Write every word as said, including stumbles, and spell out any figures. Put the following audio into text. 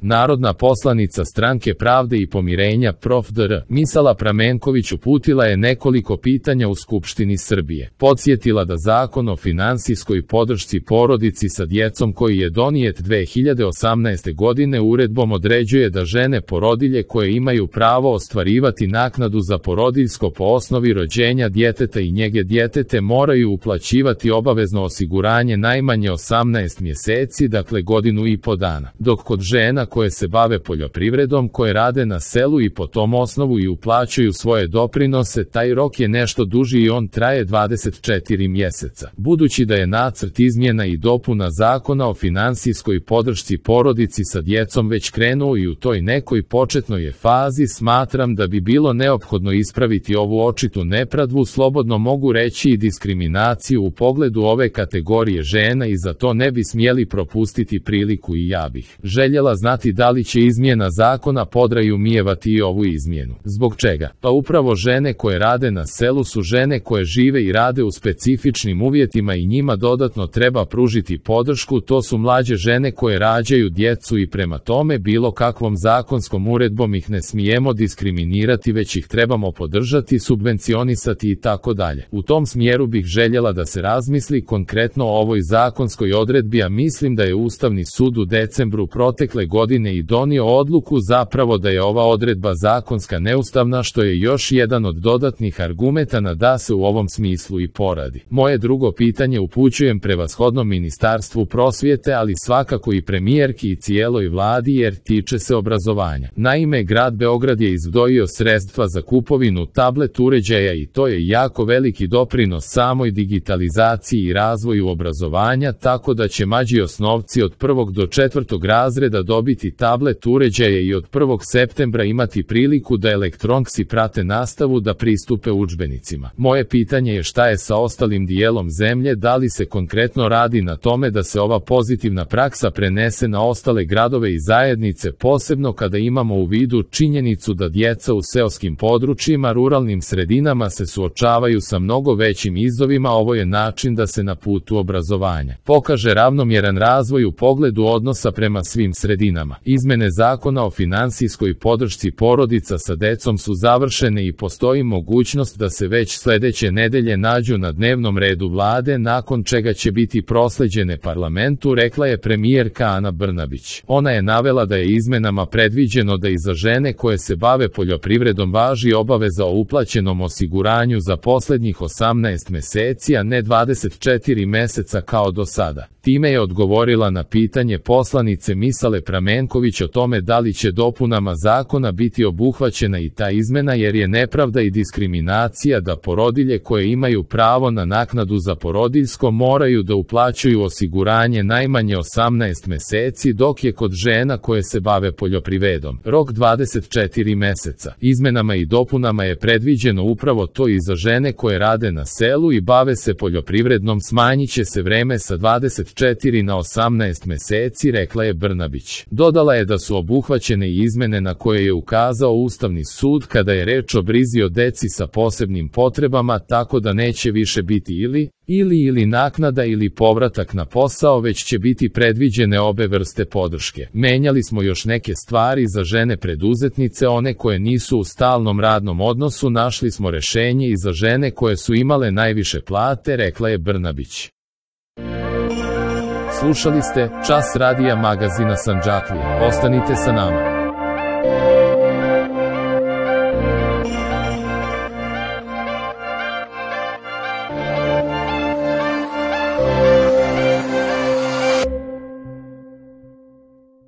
Narodna poslanica Stranke pravde i pomirenja prof dr Misala Pramenković uputila je nekoliko pitanja u Skupštini Srbije. Podsjetila da Zakon o finansijskoj podršci porodici sa djecom koji je donijet dve hiljade osamnaeste. godine uredbom određuje da žene porodilje koje imaju pravo ostvarivati naknadu za porodiljsko po osnovi rođenja djeteta i njege djetete moraju uplaćivati obavezno osiguranje najmanje osamnaest mjeseci, dakle godinu i po dana, dok kod žena koje se bave poljoprivredom, koje rade na selu i po tom osnovu i uplaćuju svoje doprinose, taj rok je nešto duži i on traje dvadeset četiri mjeseca. Budući da je nacrt izmjena i dopuna Zakona o finansijskoj podršci porodici sa djecom već krenuo i u toj nekoj početnoj je fazi, smatram da bi bilo neophodno ispraviti ovu očitu nepravdu, slobodno mogu reći i diskriminaciju u pogledu ove kategorije žena i za to ne bi smjeli propustiti priliku i ja bih željela znati da li će izmjena zakona podrazumijevati i ovu izmjenu. Zbog čega? Pa upravo žene koje rade na selu su žene koje žive i rade u specifičnim uvjetima i njima dodatno treba pružiti podršku, to su mlađe žene koje rađaju djecu i prema tome bilo kakvom zakonskom uredbom ih ne smijemo diskriminirati, već ih trebamo podržati, subvencionisati i tako dalje. U tom smjeru bih željela da se razmisli konkretno o ovoj zakonskoj odredbi, a mislim da je Ustavni sud u decembru protekle godine i donio odluku zapravo da je ova odredba zakonska neustavna, što je još jedan od dodatnih argumenata da se u ovom smislu i poradi. Moje drugo pitanje upućujem prevashodno Ministarstvu prosvjete, ali svakako i premijerki i cijeloj vladi jer tiče se obrazovanja. Naime, grad Beograd je izdvojio sredstva za kupovinu tablet uređaja i to je jako veliki doprinos samoj digitalizaciji i razvoju obrazovanja, tako da će mlađi osnovci od prvog do četvrtog razreda dobiti tablet uređaje i od prvog septembra imati priliku da elektronski prate nastavu, da pristupe udžbenicima. Moje pitanje je šta je sa ostalim dijelom zemlje, da li se konkretno radi na tome da se ova pozitivna praksa prenese na ostale gradove i zajednice, posebno kada imamo u vidu činjenicu da djeca u seoskim područjima, ruralnim sredinama se suočavaju sa mnogo većim izazovima. Ovo je način da se na putu obrazovanja pokaže ravnomjeran razvoj u pogledu odnosa prema svim sredinama. Izmene Zakona o finansijskoj podršci porodica sa djecom su završene i postoji mogućnost da se već sljedeće nedelje nađu na dnevnom redu vlade, nakon čega će biti proslijeđene parlamentu, rekla je premijerka Ana Brnabić. Ona je navela da je izmenama predviđeno da i za žene koje se bave poljoprivredom važi obaveza o uplaćenom osiguranju za posljednjih osamnaest mjeseci, a ne dvadeset četiri mjeseca kao do sada. Time je odgovorila na pitanje poslanice Misale Pramenković o tome da li će dopunama zakona biti obuhvaćena i ta izmena, jer je nepravda i diskriminacija da porodilje koje imaju pravo na naknadu za porodiljsko moraju da uplaćuju osiguranje najmanje osamnaest mjeseci, dok je kod žena koje se bave poljoprivredom rok dvadeset četiri mjeseca. Izmenama i dopunama je predviđeno upravo to i za žene koje rade na selu i bave se poljoprivrednom, smanjit će se vreme sa dvadeset četiri na osamnaest mjeseci, rekla je Brnabić. Dodala je da su obuhvaćene i izmene na koje je ukazao Ustavni sud kada je reč o brizi o deci sa posebnim potrebama, tako da neće više biti ili ili ili naknada ili povratak na posao, već će biti predviđene obe vrste podrške. Menjali smo još neke stvari za žene preduzetnice, one koje nisu u stalnom radnom odnosu, našli smo rješenje i za žene koje su imale najviše plate, rekla je Brnabić. Slušali ste Čas radija magazina Sandžaklija. Ostanite sa nama.